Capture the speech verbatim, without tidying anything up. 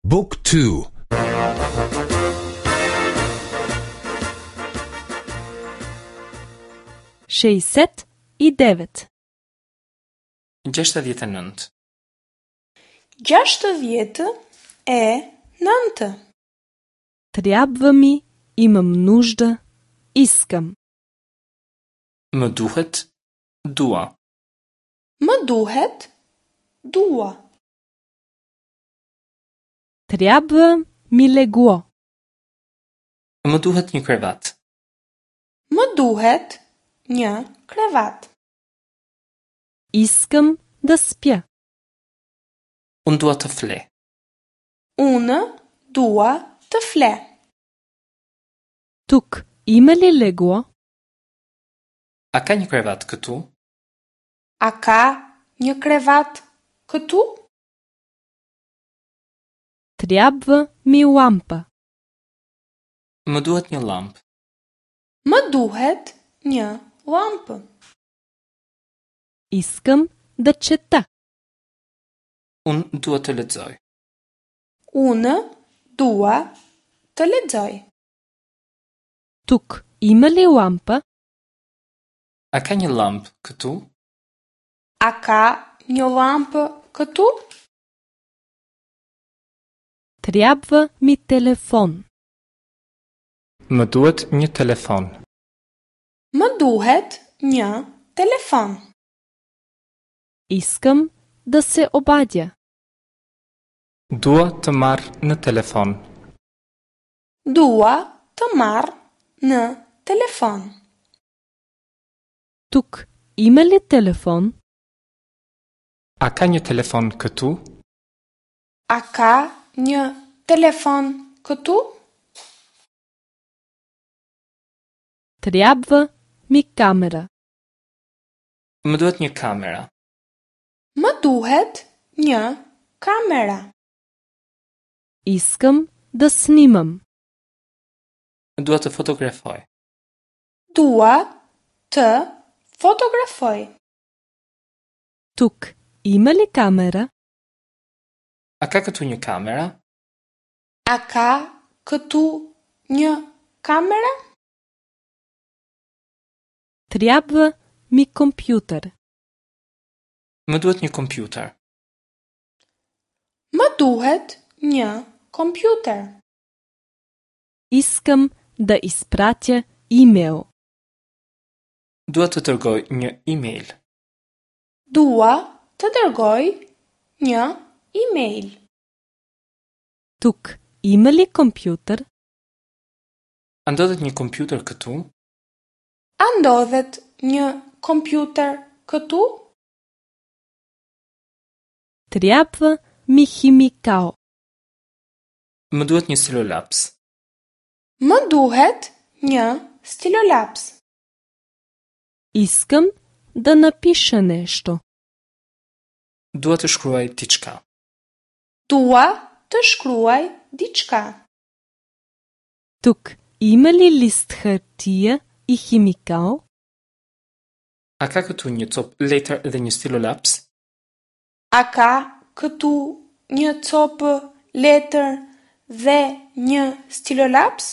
Book two. Шејсет и девет. Gjashtëdhjetë e nëntë. Gjashtëdhjetë e nëntë. Трябва ми, имам нужда, искам. Më duhet, dua. Më duhet, dua. Трябва ми легло. Më duhet një krevat. Më duhet një krevat. Искам да спя. Unë dua të fle. Unë dua të fle. Тук има ли легло? A ka një krevat këtu? A ka një krevat këtu? Трябва ми лампа. Më duhet një llampë. Më duhet një llampë. Искам да чета. Unë dua të lexoj. Unë dua të lexoj. Тук има ли лампа? A ka një llampë këtu? A ka një llampë këtu? Трябва ми телефон. Më duhet një telefon. Më duhet një telefon. Искам да се обадя. Dua të marr në telefon. Dua të marr në telefon. Тук има ли телефон? A ka një telefon këtu? A ka një telefon këtu? Трябва ми камера. Më duhet një kamera. Më duhet një kamera. Искам да снимам. Dua të fotografoj. Dua të fotografoj. Тук има ли камера? A ka këtu një kamera? A ka këtu një kamera? Трябва ми компютър. Më duhet një kompjuter. Më duhet një kompjuter. Искам да изпратя имейл. Dua të dërgoj një email. Dua të dërgoj një email. Тук има ли компютър? A ndodhet një kompjuter këtu? A ndodhet një kompjuter këtu? Трябва ми химикал. Më duhet një stilolaps. Më duhet një stilolaps. Искам да напиша нещо. Dua të shkruaj diçka. Dua të shkruaj diçka. Тук има ли лист хартия и химикал? A ka këtu një copë letër dhe një stilolaps? A ka këtu një copë letër dhe një stilolaps?